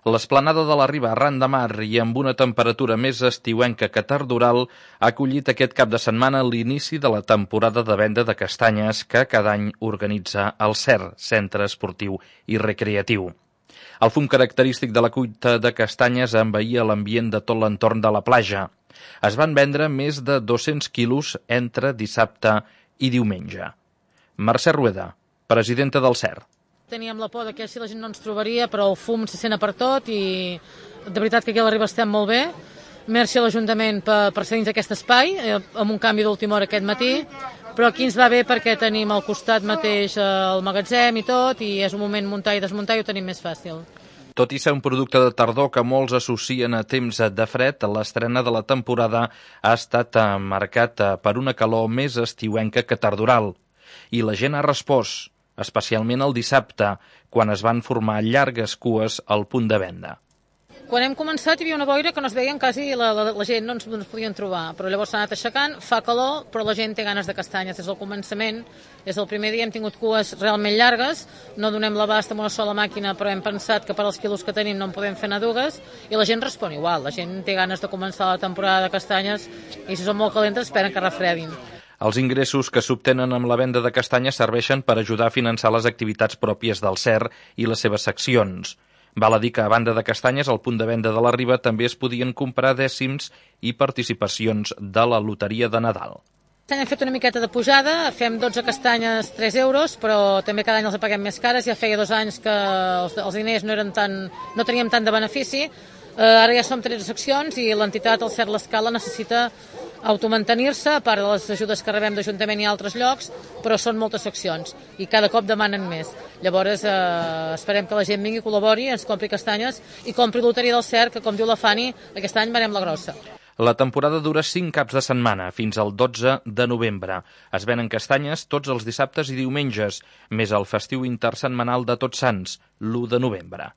L'esplanada de la Riba, arran de mar i amb una temperatura més estiuenca que tardoral, ha acollit aquest cap de setmana l'inici de la temporada de venda de castanyes que cada any organitza el CER, Centre Esportiu i Recreatiu. El fum característic de la cuita de castanyes envaïa l'ambient de tot l'entorn de la platja. Es van vendre més de 200 quilos entre dissabte i diumenge. Mercè Rueda, presidenta del CER. Teníem la por que si la gent no ens trobaria, però el fum se sent per tot i de veritat que aquí a la Riba estem molt bé. Merci a l'Ajuntament per cedir-nos aquest espai, amb un canvi d'última hora aquest matí, però aquí ens va bé perquè tenim al costat mateix el magatzem i tot, i és un moment muntar i desmuntar i ho tenim més fàcil. Tot i ser un producte de tardor que molts associen a temps de fred, l'estrena de la temporada ha estat marcat per una calor més estiuenca que tardoral. I la gent ha respost, especialment el dissabte, quan es van formar llargues cues al punt de venda. Quan hem començat hi havia una boira que no es veien quasi, la gent no ens podien trobar, però llavors s'ha anat aixecant, fa calor, però la gent té ganes de castanyes des del començament. Des del primer dia hem tingut cues realment llargues, no donem l'abast amb una sola màquina, però hem pensat que per als quilos que tenim no en podem fer anar dues, i la gent respon igual, la gent té ganes de començar la temporada de castanyes i si són molt calentes esperen que refredin. Els ingressos que s'obtenen amb la venda de castanyes serveixen per ajudar a finançar les activitats pròpies del CER i les seves seccions. Val a dir que, a banda de castanyes, al punt de venda de la Riba també es podien comprar dècims i participacions de la loteria de Nadal. Hem fet una miqueta de pujada, fem 12 castanyes 3 euros, però també cada any els paguem més cares. Ja feia 2 anys que els diners no teníem tant de benefici. Ara ja som 13 seccions i l'entitat, el CER L'Escala, necessita automantenir-se, a part de les ajudes que rebem d'Ajuntament i altres llocs, però són moltes seccions i cada cop demanen més. Llavors esperem que la gent vingui, col·labori, ens compri castanyes i compri loteria del CER, que com diu la Fanny, aquest any venem la grossa. La temporada dura 5 caps de setmana, fins al 12 de novembre. Es venen castanyes tots els dissabtes i diumenges, més el festiu intersetmanal de Tots Sants, l'1 de novembre.